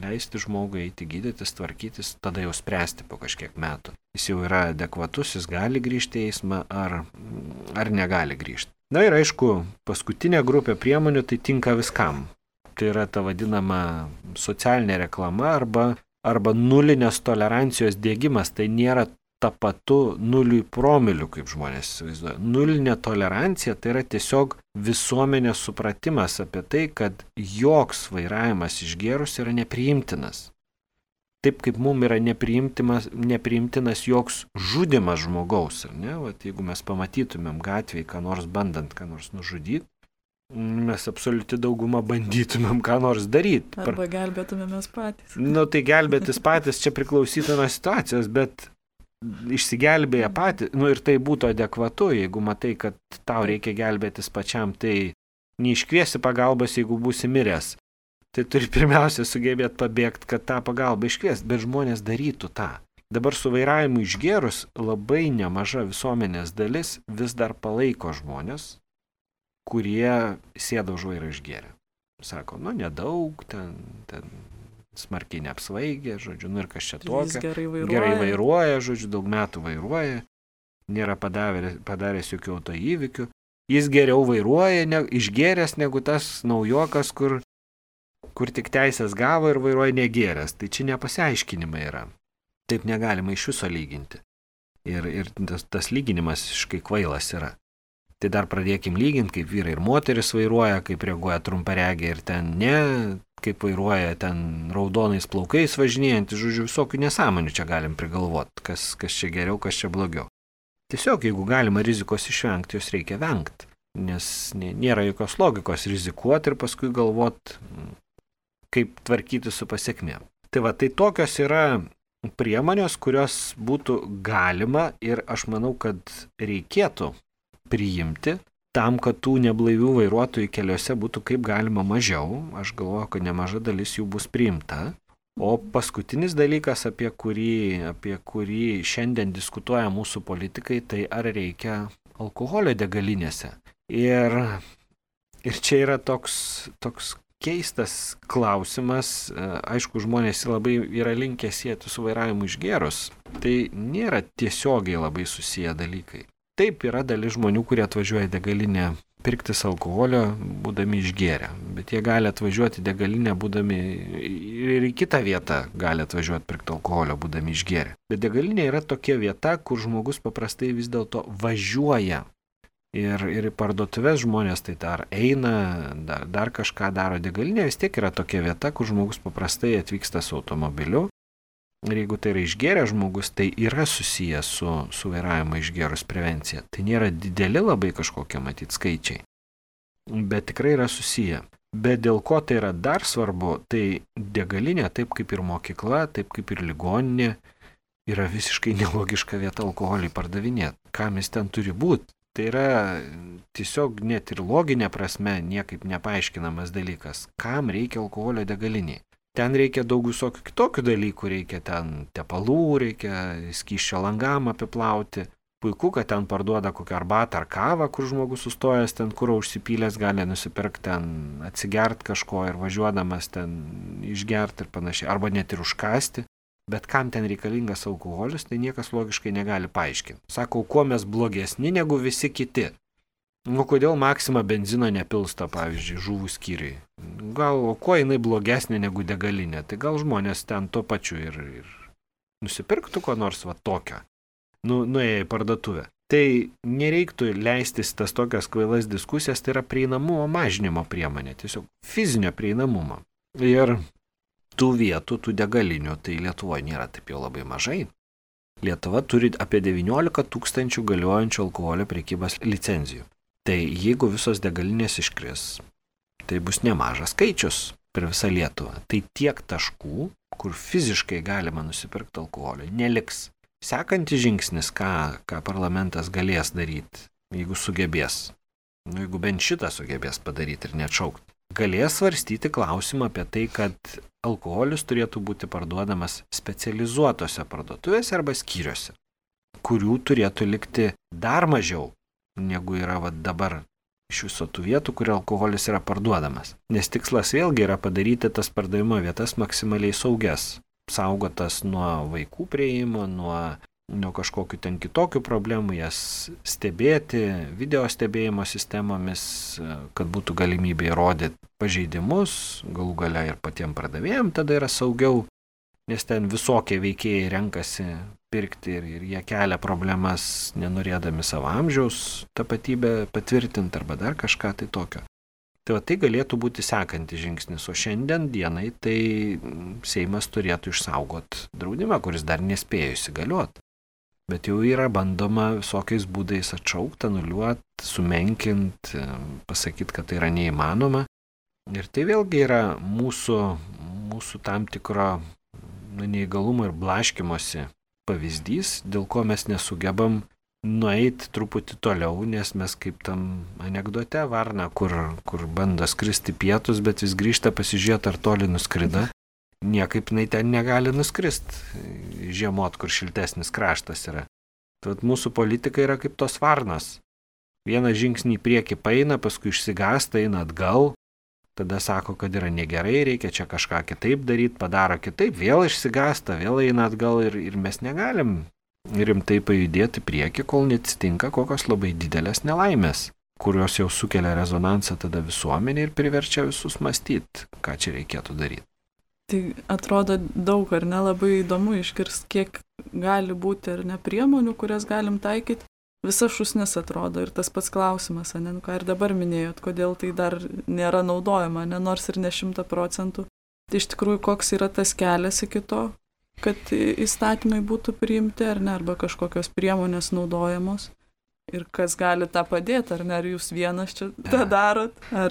S2: leisti žmogui eiti gydytis, tvarkytis, tada jau spręsti po kažkiek metų. Jis jau yra adekvatus, jis gali grįžti į eismą ar negali grįžti. Na ir aišku, paskutinė grupė priemonių tai tinka viskam. Tai yra ta vadinama socialinė reklama arba nulinės tolerancijos diegimas. Tai nėra tapatu 0 promilių, kaip žmonės įsivaizduoja. Nulinė tolerancija tai yra tiesiog visuomenės supratimas apie tai, kad joks vairavimas išgėrus yra nepriimtinas. Taip kaip mums yra nepriimtinas joks žudimas žmogaus. Jeigu mes pamatytumėm gatvėje, ką nors bandant, ką nors nužudyti, mes absoliuti daugumą bandytumėm ką nors daryti.
S1: Arba gelbėtumėmės patys.
S2: Tai gelbėtis patys čia priklausytų nuo situacijos, bet išsigelbėję patys, ir tai būtų adekvatu, jeigu matai, kad tau reikia gelbėtis pačiam, tai neiškviesi pagalbos, jeigu būsi miręs. Tai turi pirmiausia sugebėti pabėgti, kad tą pagalbą iškviesti, bet žmonės darytų tą. Dabar su vairavimu išgėrus labai nemaža visuomenės dalis vis dar palaiko žmonės, kurie sėda už vairą išgėrę. Sako, nedaug, ten smarkiai neapsvaigė, žodžiu, ir kas čia tokio. Gerai vairuoja, žodžiu, daug metų vairuoja, nėra padaręs jokių autoįvykių. Jis geriau vairuoja išgėręs negu tas naujokas, kur tik teisės gavo ir vairuoja negėręs. Tai čia nepasiaiškinimai yra. Taip negalima iš viso lyginti. Ir tas lyginimas visiškai kvailas yra. Tai dar pradėkim lyginti, kaip vyrai ir moteris vairuoja, kaip reaguoja trumparegiai ir ten ne, kaip vairuoja ten raudonais plaukais važinėjantys, žodžiu, visokių nesąmonių čia galim prigalvoti, kas čia geriau, kas čia blogiau. Tiesiog, jeigu galima rizikos išvengti, jos reikia vengti, nes nėra jokios logikos rizikuoti ir paskui galvoti, kaip tvarkyti su pasiekmėm. Tai tokios yra priemonės, kurios būtų galima ir aš manau, kad reikėtų priimti tam, kad tų neblaivių vairuotojų keliuose būtų kaip galima mažiau. Aš galvoju, kad nemaža dalis jų bus priimta. O paskutinis dalykas, apie kurį šiandien diskutuoja mūsų politikai, tai ar reikia alkoholio degalinėse. Ir čia yra toks keistas klausimas. Aišku, žmonės labai yra linkę sieti su vairavimu išgėrus. Tai nėra tiesiogiai labai susiję dalykai. Taip, yra dalis žmonių, kurie atvažiuoja į degalinę pirktis alkoholio, būdami išgėrę. Bet jie gali atvažiuoti į degalinę, būdami ir į kitą vietą gali atvažiuoti pirkti alkoholio, būdami išgėrę. Bet degalinė yra tokia vieta, kur žmogus paprastai vis dėlto važiuoja. Ir į parduotuvės žmonės tai dar eina, dar kažką daro. Degalinė vis tiek yra tokia vieta, kur žmogus paprastai atvyksta su automobiliu. Ir jeigu tai yra išgėręs žmogus, tai yra susijęs su vairavimo išgėrus prevencija. Tai nėra dideli labai kažkokie matyti skaičiai, bet tikrai yra susiję. Bet dėl ko tai yra dar svarbu, tai degalinė, taip kaip ir mokykla, taip kaip ir ligoninė, yra visiškai nelogiška vieta alkoholį pardavinėti. Kam jis ten turi būti? Tai yra tiesiog net ir loginė prasme niekaip nepaaiškinamas dalykas. Kam reikia alkoholio degaliniai? Ten reikia daug visokių kitokių dalykų, reikia ten tepalų, reikia skysčio langam apiplauti. Puiku, kad ten parduoda kokią arbatą ar kavą, kur žmogus sustojęs ten, kur užsipylęs gali nusipirkti ten, atsigert kažko ir važiuodamas ten išgerti ir panašiai, arba net ir užkasti. Bet kam ten reikalingas alkoholis, tai niekas logiškai negali paaiškinti. Sako, kuo mes blogesni negu visi kiti. Nu, kodėl Maxima benzino nepilsta, pavyzdžiui, žuvų skyriui? Gal, o kuo jinai blogesnė negu degalinė? Tai gal žmonės ten tuo pačiu ir nusipirktų ko nors va tokio. Nuėję į parduotuvę. Tai nereiktų leistis tas tokias kvailas diskusijas, tai yra prieinamumo mažinimo priemonė, tiesiog fizinio prieinamumo. Ir tų vietų, tų degalinių, tai Lietuvoje nėra taip jau labai mažai. Lietuva turi apie 19 000 galiojančių alkoholio prekybos licenzijų. Tai jeigu visos degalinės iškris, tai bus nemažas skaičius per visą Lietuvą. Tai tiek taškų, kur fiziškai galima nusipirkti alkoholio, neliks. Sekantis žingsnis, ką parlamentas galės daryti, jeigu sugebės, jeigu bent šitą sugebės padaryti ir neatšaukti, galės svarstyti klausimą apie tai, kad alkoholis turėtų būti parduodamas specializuotose parduotuvėse arba skyriuose, kurių turėtų likti dar mažiau, negu yra dabar iš viso tų vietų, kur alkoholis yra parduodamas. Nes tikslas vėlgi yra padaryti tas pardavimo vietas maksimaliai saugias, saugotas nuo vaikų prieimo, nuo kažkokių ten kitokių problemų, jas stebėti, video stebėjimo sistemomis, kad būtų galimybė įrodyti pažeidimus, galų gale ir patiem pardavėjim tada yra saugiau, nes ten visokie veikėjai renkasi pirkti ir jie kelia problemas, nenorėdami savo amžiaus tapatybę patvirtinti arba dar kažką tai tokio. Tai tai galėtų būti sekantis žingsnis, o šiandien dienai tai Seimas turėtų išsaugoti draudimą, kuris dar nespėjo įsigaliuoti. Bet jau yra bandoma visokiais būdais atšaukti, anuliuoti, sumenkinti, pasakyti, kad tai yra neįmanoma. Ir tai vėlgi yra mūsų tam tikro neįgalumo ir blaškymosi pavyzdys, dėl ko mes nesugebam nueiti truputį toliau, nes mes kaip tam anekdote varna, kur bando skristi pietus, bet vis grįžta pasižiūrėti, ar toli nuskrida. Niekaip jinai ten negali nuskristi žiemot, kur šiltesnis kraštas yra. Tad mūsų politika yra kaip tos varnos. Vieną žingsnį į priekį paeina, paskui išsigąsta, eina atgal. Tada sako, kad yra negerai, reikia čia kažką kitaip daryti, padaro kitaip, vėl išsigąsta, vėl eina atgal ir mes negalim rimtai pajudėti prieki, kol neatsitinka kokios labai didelės nelaimės, kurios jau sukelia rezonansą tada visuomenė ir priverčia visus mąstyti, ką čia reikėtų daryti.
S1: Tai atrodo daug, ar ne, labai įdomu išgirsti, kiek gali būti ar ne priemonių, kurias galim taikyti. Visa šūsnis atrodo ir tas pats klausimas, ne, ką ir dabar minėjot, kodėl tai dar nėra naudojama, ne, nors ir ne 100%. Tai iš tikrųjų, koks yra tas kelias iki to, kad įstatymai būtų priimti, ar ne, arba kažkokios priemonės naudojamos. Ir kas gali tą padėti, ar ne, ar jūs vienas čia tą darot, ar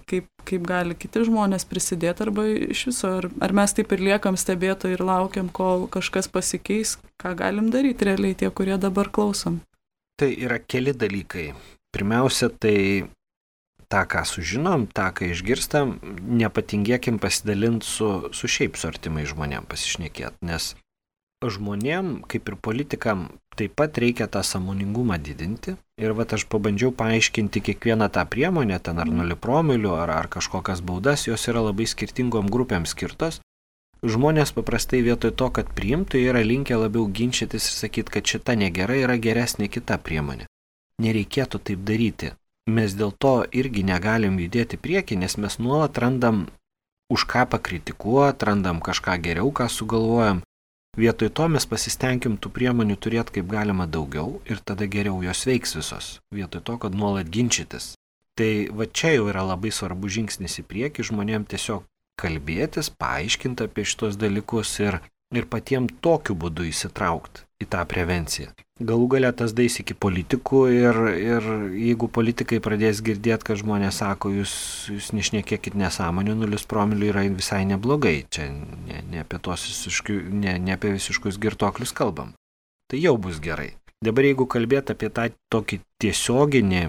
S1: kaip gali kiti žmonės prisidėti, arba iš viso, ar mes taip ir liekam stebėtojai ir laukiam, kol kažkas pasikeis, ką galim daryti realiai tie, kurie dabar klausom.
S2: Tai yra keli dalykai. Pirmiausia, tai tą, ką sužinom, tą, ką išgirstam, nepatingėkim pasidalinti su šiaip su artimai žmonėm pasišnekėti, nes žmonėm, kaip ir politikam, taip pat reikia tą sąmoningumą didinti. Ir aš pabandžiau paaiškinti kiekvieną tą priemonę, ten ar 0 promilių, ar kažkokias baudas, jos yra labai skirtingom grupėm skirtos. Žmonės paprastai vietoj to, kad priimtų, yra linkę labiau ginčytis ir sakyti, kad šita negera yra geresnė kita priemonė. Nereikėtų taip daryti. Mes dėl to irgi negalim judėti prieki, nes mes nuolat randam už ką pakritikuoti, randam kažką geriau, ką sugalvojam. Vietoj to mes pasistengim tų priemonių turėti kaip galima daugiau ir tada geriau jos veiks visos, vietoj to, kad nuolat ginčytis. Tai čia jau yra labai svarbu žingsnis į priekį, žmonėm tiesiog kalbėtis, paaiškinti apie šitos dalykus ir patiems tokiu būdu įsitraukti į tą prevenciją. Galų galia tas dais iki politikų ir jeigu politikai pradės girdėti, kad žmonės sako, jūs nešnekėkit nesąmonių, 0 promilių yra visai neblogai, čia ne apie visiškus girtuoklius kalbam. Tai jau bus gerai. Dabar jeigu kalbėt apie tą tokį tiesioginį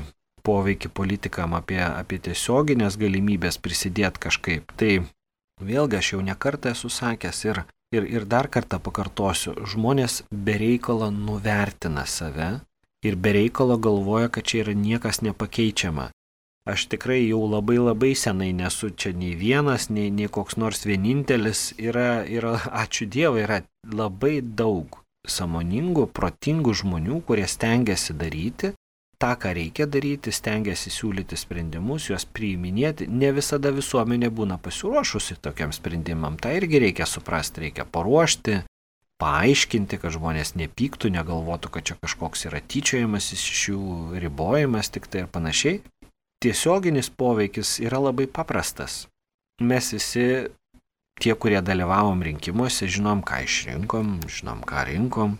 S2: poveikį politikam, apie tiesioginės galimybės prisidėti kažkaip, tai vėlgi aš jau nekartą esu sakęs ir dar kartą pakartosiu, žmonės bereikalo nuvertina save ir bereikalo galvoja, kad čia yra niekas nepakeičiama. Aš tikrai jau labai senai nesu čia nei vienas, nei koks nors vienintelis, yra ačiū Dievui, yra labai daug sąmoningų, protingų žmonių, kurie stengiasi daryti tą, ką reikia daryti, stengiasi siūlyti sprendimus, juos priiminėti. Ne visada visuomenė būna pasiruošusi tokiam sprendimam. Tai irgi reikia suprasti, reikia paruošti, paaiškinti, kad žmonės nepyktų, negalvotų, kad čia kažkoks yra tyčiojimas iš jų, ribojimas tik tai ir panašiai. Tiesioginis poveikis yra labai paprastas. Mes visi, tie, kurie dalyvavom rinkimuose, žinom, ką išrinkom, žinom, ką rinkom,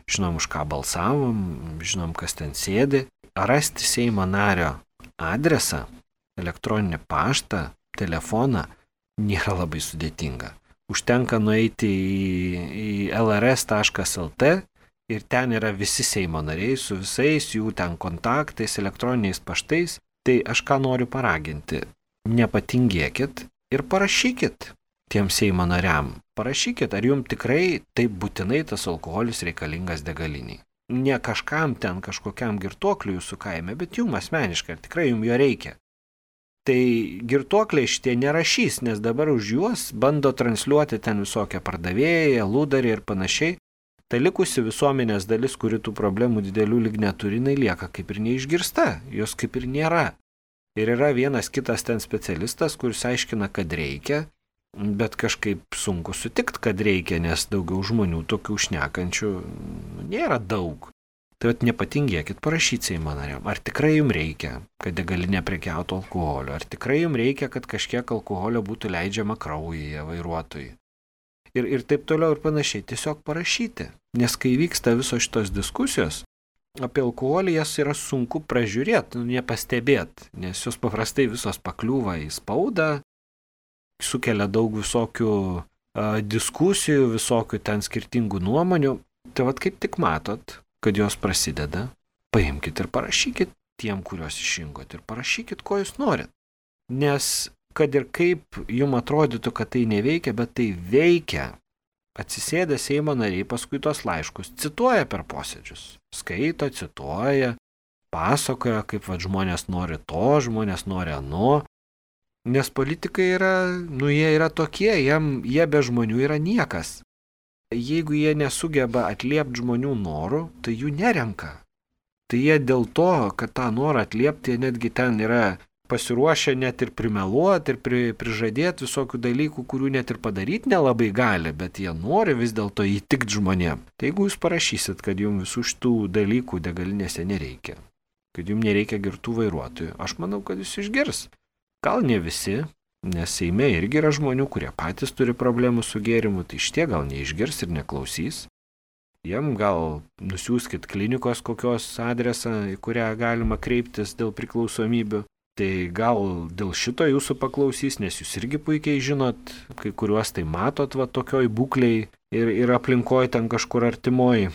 S2: žinom, už ką balsavom, žinom, kas ten sėdi. Rasti Seimo nario adresą, elektroninį paštą, telefoną nėra labai sudėtinga. Užtenka nueiti į lrs.lt ir ten yra visi Seimo nariai su visais jų ten kontaktais, elektroniniais paštais. Tai aš ką noriu paraginti, nepatingėkit ir parašykit tiem Seimo nariam. Parašykit, ar jums tikrai taip būtinai tas alkoholis reikalingas degaliniai. Ne kažkam ten, kažkokiam girtuokliui jūsų kaime, bet jums asmeniškai, ar tikrai jums jo reikia. Tai girtuokliai šitie nerašys, nes dabar už juos bando transliuoti ten visokią pardavėją, lūdarį ir panašiai. Ta likusi visuomenės dalis, kuri tų problemų didelių lyg neturi, jinai lieka kaip ir neišgirsta, jos kaip ir nėra. Ir yra vienas kitas ten specialistas, kuris aiškina, kad reikia, bet kažkaip sunku sutikti, kad reikia, nes daugiau žmonių tokių šnekančių nėra daug. Tai nepatingėkit parašyti Seimo nariam, ar tikrai jums reikia, kad degalinė prekiautų alkoholio, ar tikrai jums reikia, kad kažkiek alkoholio būtų leidžiama kraujyje vairuotojui. Ir taip toliau ir panašiai, tiesiog parašyti. Nes kai vyksta visos šitos diskusijos, apie alkoholį jas yra sunku pražiūrėti, nepastebėti, nes jos paprastai visos pakliūva į spaudą, sukelia daug visokių diskusijų, visokių ten skirtingų nuomonių. Tai kaip tik matot, kad jos prasideda, paimkit ir parašykit tiem, kuriuos išrinkot ir parašykit, ko jūs norit. Nes kad ir kaip jums atrodytų, kad tai neveikia, bet tai veikia. Atsisėdę Seimo nariai paskui tos laiškus cituoja per posėdžius. Skaito, cituoja, pasakoja, kaip žmonės nori to, žmonės nori ano. Nes politikai jie yra tokie, jie be žmonių yra niekas. Jeigu jie nesugeba atliepti žmonių norų, tai jų nerenka. Tai jie dėl to, kad tą norą atliepti, jie netgi ten yra pasiruošę net ir primeluoti ir prižadėti visokių dalykų, kurių net ir padaryti nelabai gali, bet jie nori vis dėlto įtikti žmonėm. Tai jeigu jūs parašysit, kad jums visų šitų dalykų degalinėse nereikia, kad jums nereikia girtų vairuotojų, aš manau, kad jūs išgirs. Gal ne visi, nes Seime irgi yra žmonių, kurie patys turi problemų su gėrimu, tai šitie gal neišgirs ir neklausys. Jiem gal nusiųskit klinikos kokios adresą, į kurią galima kreiptis dėl priklausomybių. Tai gal dėl šito jūsų paklausys, nes jūs irgi puikiai žinot, kai kuriuos tai matot tokioj būklei ir aplinkoje ten kažkur artimoji.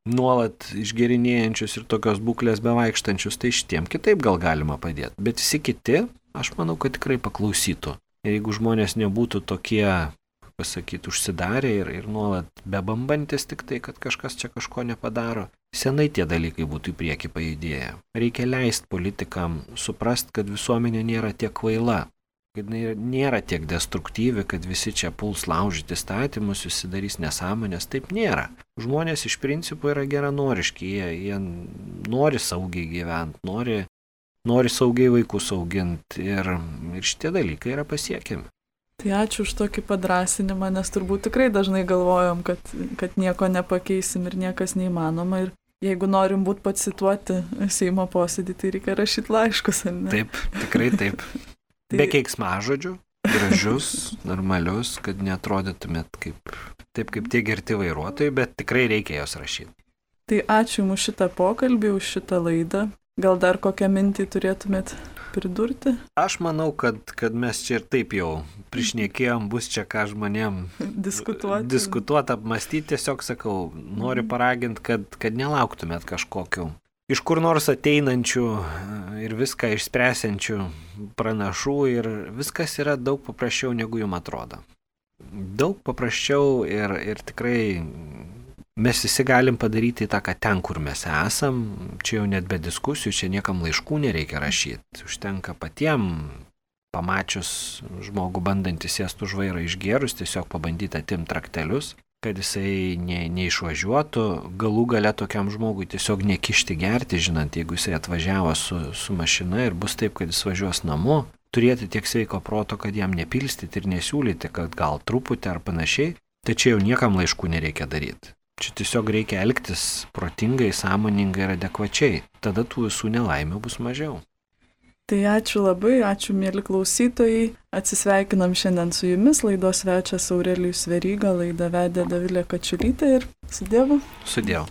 S2: nuolat išgerinėjančius ir tokios būklės bevaikštančius, tai šitiem kitaip gal galima padėti. Bet visi kiti, aš manau, kad tikrai paklausytų. Ir jeigu žmonės nebūtų tokie, pasakyti, užsidarę ir nuolat bebambantis tik tai, kad kažkas čia kažko nepadaro, senai tie dalykai būtų į priekį pajudėję. Reikia leisti politikam suprast, kad visuomenė nėra tiek kvaila, kad nėra tiek destruktyvi, kad visi čia puls laužyti įstatymus, visi darys nesąmonės. Taip nėra. Žmonės iš principo yra geranoriški, jie nori saugiai gyventi, nori saugiai vaikus auginti ir šitie dalykai yra pasiekiami.
S1: Tai ačiū už tokį padrasinimą, nes turbūt tikrai dažnai galvojom, kad nieko nepakeisim ir niekas neįmanoma. Ir jeigu norim būti pacituoti Seimo posėdį, tai reikia rašyti laiškus, ar ne?
S2: Taip, tikrai taip. Be keiksmažodžių, gražius, normalius, kad neatrodytumėt kaip tie girti vairuotojai, bet tikrai reikia jos rašyti.
S1: Tai ačiū Jums už šitą pokalbį, už šitą laidą. Gal dar kokią mintį turėtumėt pridurti?
S2: Aš manau, kad mes čia ir taip jau prišnekėjom, bus čia ką žmonėm diskutuoti, apmastyti. Tiesiog sakau, noriu paraginti, kad nelauktumėt kažkokių iš kur nors ateinančių ir viską išspręsiančių pranašų ir viskas yra daug paprasčiau, negu jums atrodo. Daug paprasčiau ir tikrai mes visi galim padaryti įtaką ten, kur mes esam. Čia jau net be diskusijų, čia niekam laiškų nereikia rašyti. Užtenka patiem, pamačius žmogų bandantį sėsti už vairą išgėrus, tiesiog pabandyti atimti raktelius, kad jisai neišvažiuotų, galų gale tokiam žmogui tiesiog nekišti gerti, žinant, jeigu jisai atvažiavo su mašina ir bus taip, kad jis važiuos namo, turėti tiek sveiko proto, kad jam nepilstyti ir nesiūlyti, kad gal truputį ar panašiai, tačiau jau niekam laiškų nereikia daryti. Čia tiesiog reikia elgtis protingai, sąmoningai ir adekvačiai, tada tų visų nelaimių bus mažiau.
S1: Tai ačiū labai, ačiū mėly klausytojai. Atsisveikinam šiandien su jumis, laidos svečias Aurelijus Veryga, laidą vedė Dovilė Kačiulytė ir su Dievu.
S2: Su Dievu.